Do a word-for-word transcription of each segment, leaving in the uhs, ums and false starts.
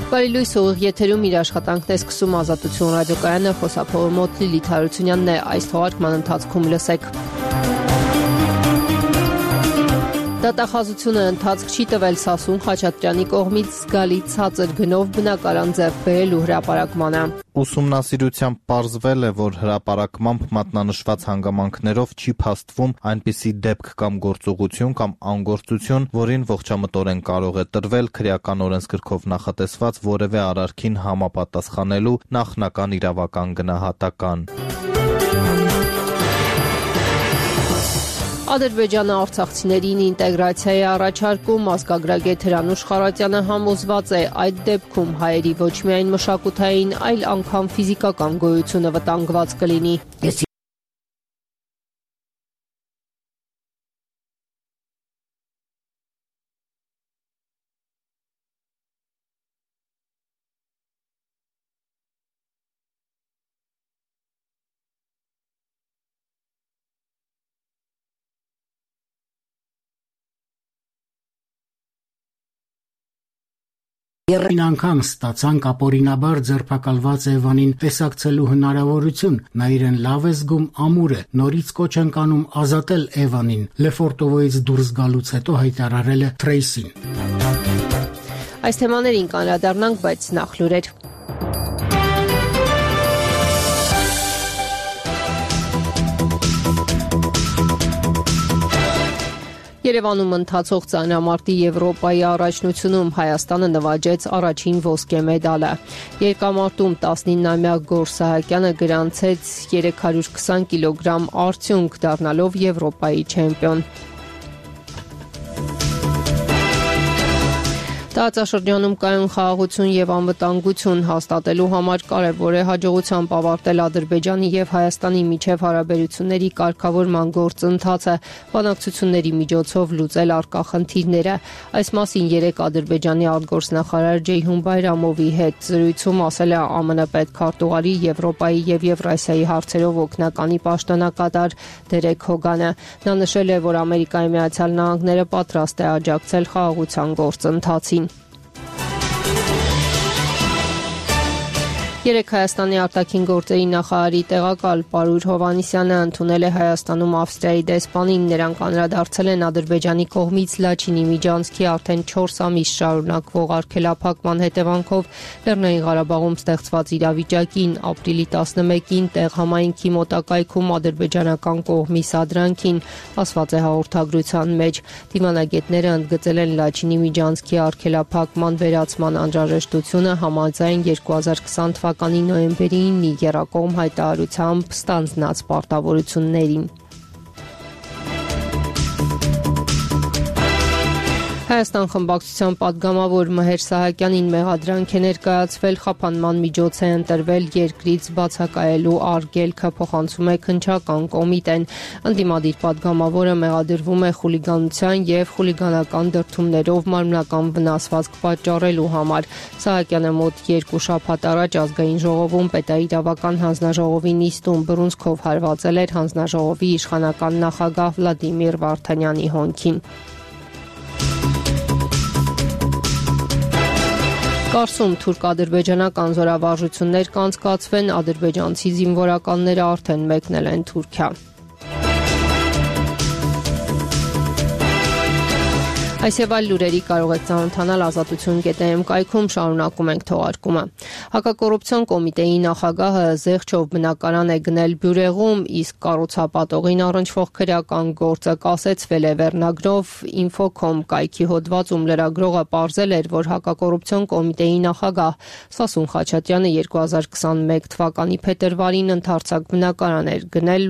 Բարի լույս, ուղիղ եթերում իր աշխատանքն է սկսում Ազատություն ռադիոկայանը, խոսափողը մոտ Լիլիթ Հարությունյանն է, այս թողարկման ընթացքում լսեք։ Դատախազությունը ընթացք չի տվել Սասուն Խաչատրյանի կողմից զգալի ցածր գնով բնակարան ձեռք բերելու հրապարակմանը։ Ուսումնասիրությամբ պարզվել է, որ հրապարակմամբ մատնանշված հանգամանքներով չի փաստվում այնպիսի դեպք կամ գործողություն կամ անգործություն, որին ողջամտորեն կարող է տրվել քրեական օրենսգրքով նախատեսված որևէ արարքին համապատասխանելու նախնական իրավական գնահատական։ Ադրբեջանը արցախցիներին ինտեգրացիա է առաջարկում, ազգագրագետ Հրանուշ Խարատյանը համոզված է, այդ դեպքում հայերի ոչ միայն մշակութային, այլ անգամ ֆիզիկական գոյությունը վտանգված կլինի։ Երրորդ անգամ ստացանք ապօրինաբար ձերբակալված Էվանին տեսակցելու հնարավորություն, նա իրեն լավ է զգում, ամուր է, նորից կոչ ենք անում ազատել Էվանին, Լեֆորտովոյից դուրս գալուց հետո հայտարարել է Թրեյսին։ Այս թեմաներին կանդրադառնանք, բայց նախ լուրեր։ Երևանում ընթացող ծանրամարտի Եվրոպայի առաջնությունում Հայաստանը նվաճեց առաջին ոսկե մեդալը։ Երկամարտում տասնինամյա Գոռ Սահակյանը գրանցեց երեք հարյուր քսան կիլոգրամ արդյունք, դառնալով Եվրոպայի չեմպիոն։ Տարածաշրջանում կայուն խաղաղություն եւ անվտանգություն հաստատելու համար կարեւոր է հաջողությամբ ավարտել Ադրբեջանի եւ Հայաստանի միջև հարաբերությունների կարգավորման գործընթացը, բանակցությունների միջոցով լուծել առկա խնդիրները։ Այս մասին երեկ Ադրբեջանի արտգործնախարար Ջեյհուն Բայրամովի հետ զրույցում ասել է ԱՄՆ պետքարտուղարի Եվրոպայի եւ Եվրասիայի հարցերով օգնականի պաշտոնակատար Դերեկ Հոգանը։ Նա նշել է, որ Ամերիկայի Միացյալ Նահանգները պատրաստ է աջակցել խաղաղության գործընթացին։ Երեկ Հայաստանի արտաքին գործերի նախարարի տեղակալ Պարույր Հովհաննիսյանը ընդունել է Հայաստանում Ավստրիայի դեսպանին, նրանք անդրադարձել են Ադրբեջանի կողմից Լաչինի միջանցքի արդեն չորս ամիս շարունակվող արգելափակման հետևանքով Լեռնային Ղարաբաղում ստեղծված իրավիճակին, ապրիլի տասնմեկին տեղ համայնքի մոտակայքում ադրբեջանական կողմի սադրանքին, ասված է հաղորդագրության մեջ։ Դիվանագետները ընդգծել են Լաչինի միջանցքի արգելափակման վերացման անհրաժեշտությունը համաձայն երկու հազար քսան թվականի նոյեմբերին եռակողմ հայտարարությամբ ստանձնած պարտավորություններին։ Հայաստան խմբակցության պատգամավոր Մհեր Սահակյանին մեղադրանք է ներկայացվել, խափանման միջոց է ընտրվել երկրից բացակայելու արգելքը, փոխանցում է Քննչական կոմիտեն։ Ընդդիմադիր պատգամավորը մեղադրվում է խուլիգանության եւ խուլիգանական դրդումներով մարմնական վնասվածք պատճառելու համար։ Սահակյանը մոտ երկու շաբաթ առաջ ազգային ժողովում պետաիրավական հանձնաժողովի նիստում բռունցքով հարվածել էր հանձնաժողովի իշխանական նախագահ Վլադիմիր Վարդանյանի հոնքին։ Կարսում թուրք-ադրբեջանական զորավարժություններ կանցկացվեն, ադրբեջանցի զինվորականները արդեն մեկնել են Թուրքիա։ Այս եւ այլ լուրերի կարող եք ծանոթանալ ազատություն կետ էմ կայքում, շարունակում ենք թողարկումը։ Հակակոռուպցիոն կոմիտեի նախագահը զեղչով բնակարան է գնել Բյուրեղում, իսկ կառուցապատողին առնչվող քրեական գործը կասեցվել է վերնագրով Infocom կայքի հոդվածում լրագրողը պարզել էր, որ հակակոռուպցիոն կոմիտեի նախագահ Սասուն Խաչատրյանը երկու հազար քսանմեկ թվականի փետրվարին ընդարձակ բնակարան էր գնել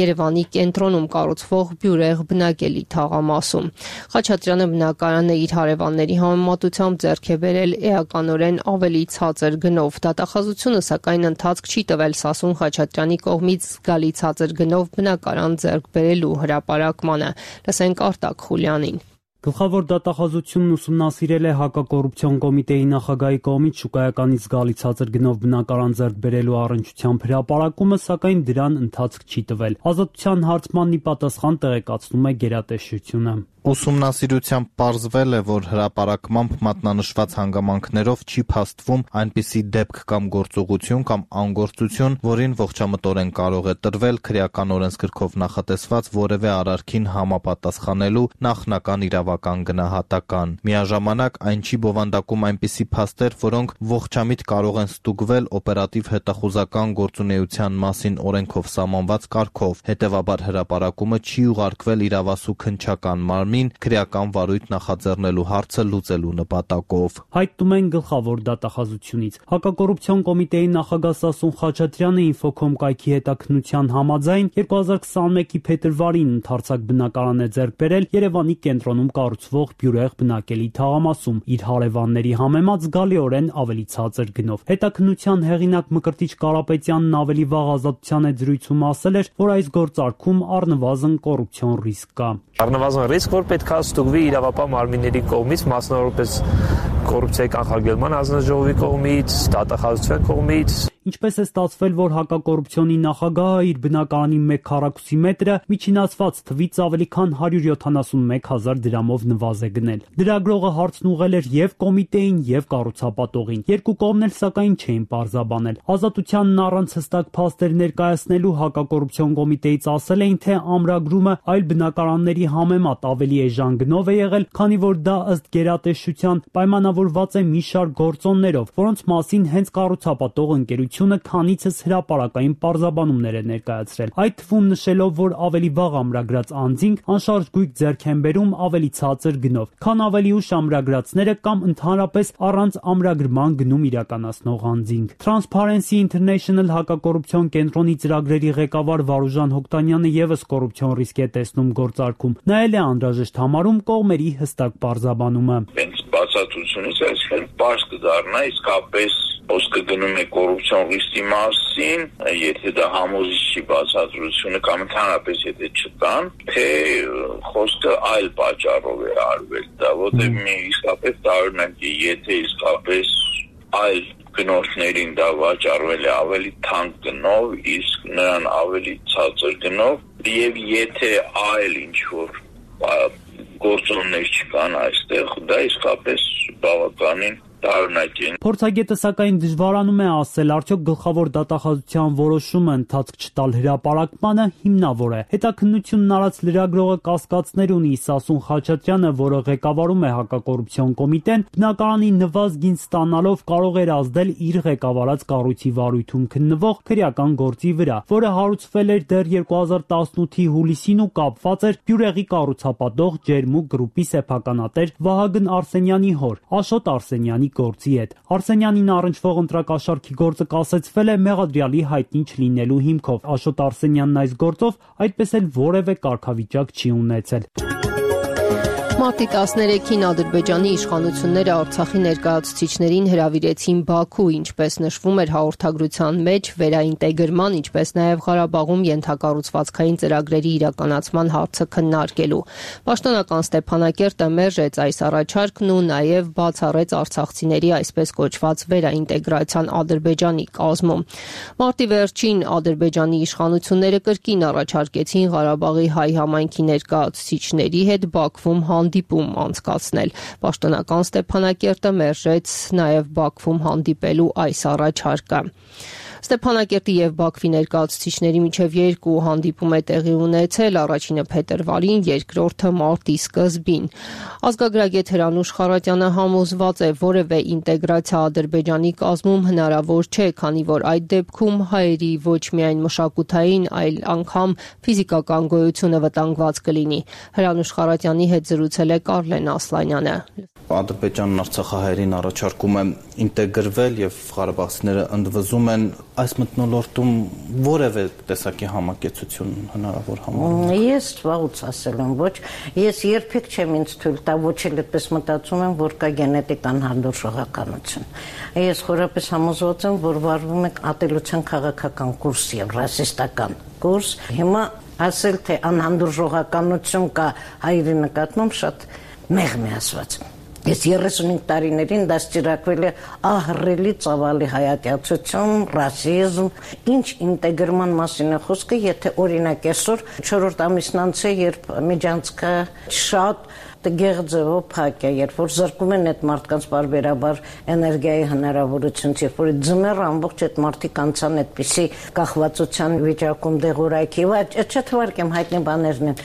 Երևանի կենտրոնում կառուցվող Բյուրեղ բնակելի թաղամասում։ Խաչատրյանը բնակարանը իր հարևանների համեմատությամբ ձեռք է բերել էականորեն ավելի ցածր գնով։ Դատախազությունը սակայն ընթացք չի տվել Սասուն Խաչատրյանի կողմից զգալի ցածր գնով բնակարան ձեռք բերելու հրապարակմանը։ Լսենք Արտակ Խուլյանին։ Գլխավոր դատախազությունն ուսումնասիրել է հակակոռուպցիոն կոմիտեի նախագահի կողմից շուկայականից զգալի ցածր գնով բնակարան ձեռք բերելու առնչությամբ հրապարակումը, սակայն դրան ընթացք չի տվել։ Ազատության հարցմանն ի պատասխան տեղեկացնում է գերատեսչությունը։ Ուսումնասիրությամբ պարզվել է, որ հրապարակմամբ մատնանշված հանգամանքներով չի փաստվում այնպիսի դեպք կամ գործողություն կամ անգործություն, որին ողջամտորեն կարող է տրվել քրեական օրենսգրքով նախատեսված որևէ արարքին համապատասխանելու նախնական իրավական գնահատական։ Միաժամանակ այն չի բովանդակում այնպիսի փաստեր, որոնք ողջամիտ կարող են ստուգվել օպերատիվ հետախուզական գործունեության մասին օրենքով սահմանված կարգով։ Հետևաբար հրապարակումը չի ուղարկվել իրավասու քննչական մարմին քրեական վարույթ նախաձեռնելու հարցը լուծելու նպատակով։ Հայտնում են գլխավոր դատախազությունից։ Հակակոռուպցիոն կոմիտեի նախագահ Սասուն Խաչատրյանը Ինֆոկոմ կայքի հետաքննության համաձայն երկու հազար քսաներկի փետրվարին ընդարձակ բնակարան է ձեռք բերել Երևանի կենտրոնում կառուցվող բյուրեղ բնակելի թաղամասում իր հարևանների համեմատ զգալիորեն ավելի ցածր գնով։ Հետաքննության հեղինակ Մկրտիչ Կարապետյանն ավելի վաղ Ազատության հետ զրույցում ասել էր, որ այս գործարքում առնվազն կոռուպցիոն ռիսկ կա։ Առնվազն ռիսկ, որ պետք է ստուգվի իրավապահ մարմինների կողմից, մասնավորապես կոռուպցիայի կանխարգելման հանձնաժողովի կողմից, դատախազության կողմից։ Ինչպես է ստացվել, որ հակակոռուպցիոնի նախագահը իր բնակարանի մեկ քառակուսի մետրը միջինացված թվից ավելի քան հարյուր յոթանասունմեկ հազար դրամով նվազ է գնել։ Լրագրողը հարցն ուղղել էր եւ կոմիտեին, եւ կառուցապատողին։ Երկու կողմն էլ սակայն չէին պարզաբանել։ Ազատությանն առանց հստակ փաստեր ներկայացնելու հակակոռուպցիոն կոմիտեից ասել էին, թե ամրագրումը այլ բնակարանների համեմատ ավելի էժան գնով է եղել, քանի որ դա ըստ գերատեսչության պայմանավորված է մի շարք գործոններով, որոնց մասին հենց կառուցապատող ընկերությունը քանիցս հրապարակային պարզաբանումներ է ներկայացրել։ Այդ թվում նշելով, որ ավելի վաղ ամրագրած անձինք անշարժ գույք ձեռք են բերում ավելի ցածր գնով, քան ավելի ուշ ամրագրածները կամ ընդհանրապես առանց ամրագրման գնում իրականացնող անձինք։ Transparency International հակակոռուպցիոն կենտրոնի ծրագրերի ղեկավար Վարուժան Հոկտանյանը եւս կոռուպցիոն ռիսկ է տեսնում գործարքում։ Նայել է անհրաժեշտ համարում կողմերի հստակ պարզաբանումը։ Հենց բացատրությունից այսքան պարզ կդառնա իսկապես խոսքը գնում է կոռուպցիոն ռիսկի մասին, եթե դա համոզիչ չի բացատրությունը կամ ընդհանրապես եթե չտան, թե խոսքը այլ պատճառով է արվել դա, որտեղ մի իսկապես տարօրինակ է, եթե իսկապես այլ գնորդներին դա վաճառվել է ավելի թանկ գնով, իսկ նրան ավելի ցածր գնով, եւ եթե այլ ինչ-որ գործոններ չկան այստեղ, դա իսկապես բավականին տարօրինակ է։ Փորձագետը սակայն դժվարանում է ասել, արդյոք գլխավոր դատախազության որոշումը ընթացք չտալ հրապարակմանը հիմնավոր է։ Հետաքննությունն արած լրագրողը կասկածներ ունի Սասուն Խաչատրյանը, որը ղեկավարում է հակակոռուպցիոն կոմիտեն, բնակարանի նվազ գին ստանալով կարող էր ազդել իր ղեկավարած կառույցի վարույթում քննվող քրեական գործի վրա, որը հարուցվել էր դեռ երկու հազար տասնութի հուլիսին ու կապված էր բյուրեղի կառուցապատող Ջերմուկ գրուպի սեփականատեր Վահագն Արսենյանի հոր, Աշոտ Արսենյանի գործի հետ։ Արսենյանին առնչվող ընտրակաշառքի գործը կասեցվել է մեղադրյալի հայտնի չլինելու հիմքով։ Աշոտ Արսենյանն այս գործով այդպես էլ որևէ կարգավիճակ չի ունեցել։ Մարտի տասներեքին Ադրբեջանի իշխանությունները Արցախի ներկայացուցիչներին հրավիրեցին Բաքու, ինչպես նշվում էր հաղորդագրության մեջ, վերաինտեգրման, ինչպես նաև Ղարաբաղում ենթակառուցվածքային ծրագրերի իրականացման հարցը քննարկելու։ Պաշտոնական Ստեփանակերտը մերժեց այս առաջարկն ու նաև բացառեց արցախցիների այսպես կոչված վերաինտեգրացիան Ադրբեջանի կազմում։ Մարտի վերջին Ադրբեջանի իշխանությունները կրկին առաջարկեցին Ղարաբաղի հայ համայնքի ներկայացուցիչների հետ Բաքվում հանդիպում անցկացնել։ Պաշտոնական Ստեփանակերտը մերժեց նաև Բաքվում հանդիպելու այս առաջարկը։ Ստեփանակերտի եւ Բաքվի ներկայացուցիչների միջև երկու հանդիպում է տեղի ունեցել, առաջինը փետրվարին, երկրորդը մարտի սկզբին։ Ազգագրագետ Հրանուշ Խարատյանը համոզված է, որևէ ինտեգրացիա Ադրբեջանի կազմում հնարավոր չէ, քանի որ այդ դեպքում հայերի ոչ միայն մշակութային, այլ անգամ ֆիզիկական գոյությունը վտանգված կլինի։ Հրանուշ Խարատյանի հետ զրուցել է Կարլեն Ասլանյանը։ Ադրբեջանն արցախահայերին առաջարկում է ինտեգրվել եւ ղարաբաղցիները ընդվզում են, այս մթնոլորտում որևէ տեսակի համակեցություն հնարավոր համարում։ Ես վաղուց ասել եմ, ոչ, ես երբեք չեմ ինձ թույլ տա, ոչ էլ այդպես մտածում եմ, որ կա գենետիկ անհանդուրժողականություն։ Ես խորապես համոզված եմ, որ վարվում է ատելության քաղաքական կուրս եւ ռասիստական կուրս։ Հիմա ասել թե անհանդուրժողականություն կա հայերի նկատմամբ շատ մեղմ է ասված։ Ես երեսունհինգ տարիներին դաստիարակվել է ահռելի ծավալի հայատյացություն, ռասիզմ, ինչ ինտեգրման մասին է խոսքը, եթե օրինակ այսօր չորրորդ ամիսն անց է, երբ միջանցքը շատ գեղձևով փակ է, երբ որ զրկում են այդ մարդկանց բարբերաբար էներգիայի հնարավորությունից, երբ որ ձմեռ ամբողջ այդ մարդիկ անցան այդպիսի կախվածության վիճակում դեղորայքի, չէ թվարկեմ հայտնի բաներն են։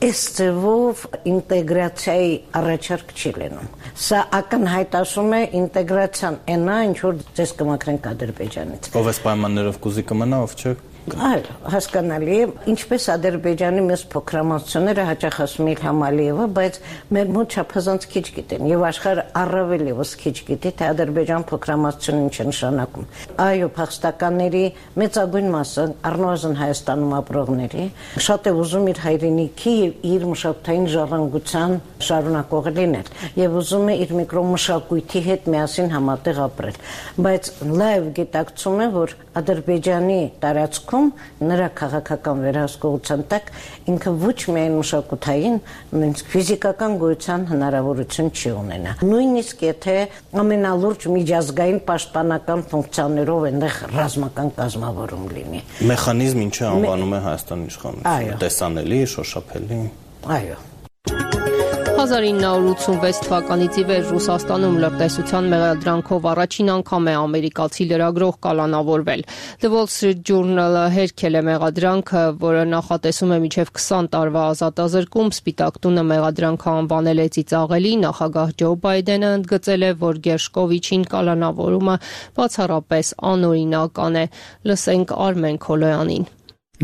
Այս ձևով ինտեգրացիայի առաջարկ չի լինում։ Սա ակնհայտ ասում է ինտեգրացիան այնա, ինչ որ ձեզ կմաքրենք Ադրբեջանից։ Ով էս պայմաններով կուզի կմնա, ով չէ։ Այո, հասկանալի է, ինչպես Ադրբեջանի մեծ փոքրամասնությունները հաճախ ասում են Իլհամ Ալիևը, բայց մեր մոտ չափազանց քիչ գիտեն եւ աշխարհը առավել եւս քիչ գիտի, թե Ադրբեջան փոքրամասնությունը ինչ է նշանակում։ Այո, փախստականների մեծագույն մասը, առնվազն Հայաստանում ապրողների, շատ է ուզում իր հայրենիքի եւ իր մշակութային ժառանգության շարունակող լինել եւ ուզում է իր միկրոմշակույթի հետ միասին համատեղ ապրել, բայց լայվ գիտակցում է, որ Ադրբեջանի տարածքում նրա քաղաքական վերահսկողության տակ ինքը ոչ միայն մշակութային, նույնիսկ ֆիզիկական գոյության հնարավորություն չի ունենա։ Նույնիսկ եթե ամենալուրջ միջազգային պաշտպանական ֆունկցիաներով այնտեղ ռազմական կազմավորում լինի։ Մեխանիզմ ինչը անվանում է Հայաստանի իշխանությունը, տեսանելի, շոշափելի։ Այո։ հազար ինը հարյուր ութսունվեց թվականից ի վեր Ռուսաստանում լրտեսության մեղադրանքով առաջին անգամ է ամերիկացի լրագրող կալանավորվել։ The Wall Street Journal-ը հերքել է մեղադրանքը, որը նախատեսում է մինչև քսան տարվա ազատազրկում, Սպիտակ տունը մեղադրանքը անվանել է ծիծաղելի, նախագահ Ջո Բայդենը ընդգծել է, որ Գերշկովիչին կալանավորումը բացառապես անօրինական է։ Լսենք Արմեն Քոլոյանին։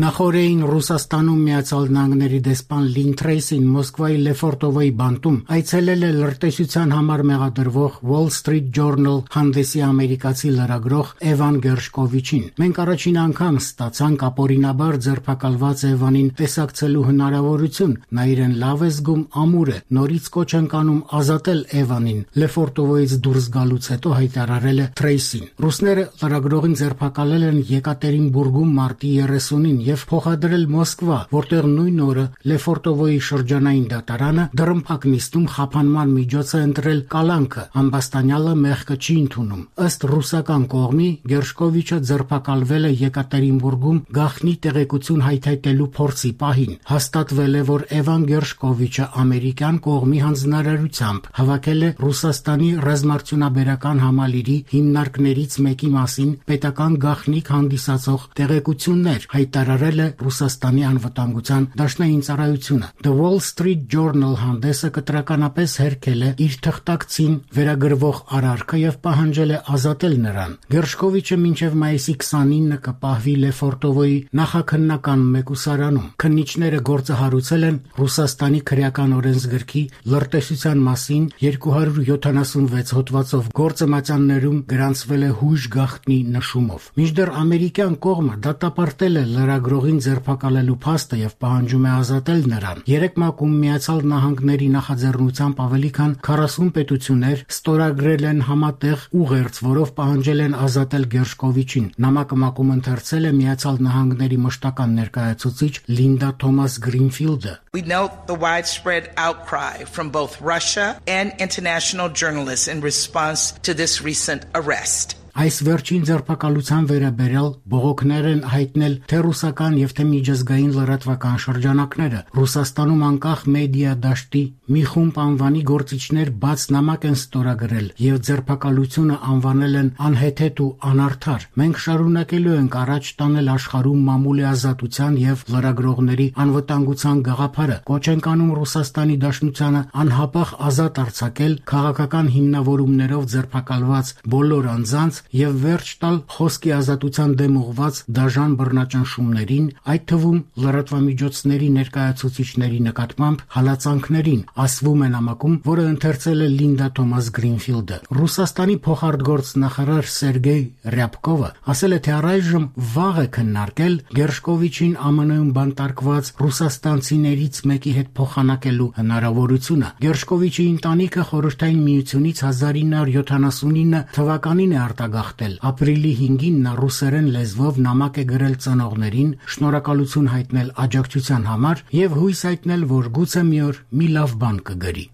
Նախորդին Ռուսաստանում Միացյալ Նահանգների դեսպան Լին Թրեյսին Մոսկվայի Լեֆորտովոյի բանտում այցելել է լրտեսության համար մեղադրվող Wall Street Journal հանդեսի ամերիկացի լրագրող Էվան Գերշկովիչին։ Մենք առաջին անգամ ստացանք ապօրինաբար ձերբակալված Էվանին տեսակցելու հնարավորություն, նա իրեն լավ է զգում, ամուր է, նորից կոչ ենք անում ազատել Էվանին, Լեֆորտովոյից դուրս գալուց հետո հայտարարել է Թրեյսին։ Ռուսները լրագրողին ձերբակալել են Եկատերինբուրգում մարտի երեսունին եւ փոխադրել Մոսկվա, որտեղ նույն օրը Լեֆորտովոյի շրջանային դատարանը դռնփակ նիստում խափանման միջոց է ընտրել կալանքը, ամբաստանյալը մեղքը չի ընդունում։ Ըստ ռուսական կողմի Գերշկովիչը ձերբակալվել է Եկատերինբուրգում գաղտնի տեղեկություն հայթայթելու փորձի պահին։ Հաստատվել է, որ Էվան Գերշկովիչը ամերիկյան կողմի հանձնարարությամբ հավաքել է Ռուսաստանի ռազմարտունաբերական համալիրի հիմնարկներից մեկի մասին պետական գաղտնիք հանդիսացող տեղեկություններ, հայտարարել է Ռուսաստանի անվտանգության դաշնային ծառայությունը։ The Wall Street Journal հանդեսը կտրականապես հերքել է իր թղթակցին վերագրվող արարքը եւ պահանջել է ազատել նրան։ Գերշկովիչը մինչև մայիսի քսանինը կպահվի Լեֆորտովոյի նախաքննական մեկուսարանում։ Քննիչները գործը հարուցել են Ռուսաստանի քրեական օրենսգրքի լրտեսության մասին երկու հարյուր յոթանասունվեց հոդվածով գործմատյաններում գրանցվել է հույժ գաղտնի նշումով։ Մինչդեռ ամերիկյան կողմը դատապարտել է լրագրողին ձերբակալելու փաստը եւ պահանջում է ազատել նրան։ Երեք մակում Միացյալ Նահանգների նախաձեռնությամբ ավելի քան քառասուն պետություններ ստորագրել են համատեղ ուղերձ, որով պահանջել են ազատել Գերշկովիչին։ Նամակը մակում ընթերցել է Միացյալ Նահանգների մշտական ներկայացուցիչ Լինդա Թոմաս Գրինֆիլդը։ We note the widespread outcry from both Russia and international journalists in response to this recent arrest. Այս վերջին ձերբակալության վերաբերյալ բողոքներ են հայտնել թե ռուսական եւ թե միջազգային լրատվական շրջանակները։ Ռուսաստանում անկախ մեդիա դաշտի մի խումբ անվանի գործիչներ բաց նամակ են ստորագրել եւ ձերբակալությունը անվանել են անհեթեթ ու անարդար։ Մենք շարունակելու ենք առաջ տանել աշխարհում մամուլի ազատության եւ լրագրողների անվտանգության գաղափարը։ Կոչ ենք անում Ռուսաստանի Դաշնությանը անհապաղ ազատ արձակել քաղաքական հիմնավորումներով ձերբակալված բոլոր անձանց եւ վերջ տալ խոսքի ազատության դեմ ուղված դաժան բռնաճնշումներին, այդ թվում լրատվամիջոցների ներկայացուցիչների նկատմամբ հալածանքներին, ասվում է նամակում, որը ընթերցել է Լինդա Թոմաս Գրինֆիլդը։ Ռուսաստանի փոխարտգործնախարար Սերգեյ Ռյաբկովը ասել է, թե առայժմ վաղ է քննարկել Գերշկովիչին ԱՄՆ-ում բանտարկված ռուսաստանցիներից մեկի հետ փոխանակելու հնարավորությունը։ Գերշկովիչի ընտանիքը Խորհրդային Միությունից հազար ինը հարյուր յոթանասունինը թվականին է արտագաղթել։ Ապրիլի հինգին նա ռուսերեն լեզվով նամակ է գրել ծնողներին, շնորհակալություն հայտնել աջակցության համար եւ հույս հայտնել, որ գուցե մի օր մի լավ բան կգրի։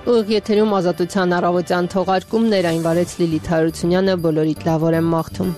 Ուղիղ եթերում Ազատության առավոտյան թողարկումներ, այն վարեց Լիլիթ Հարությունյանը, բոլորիդ լավ օր եմ մաղթում։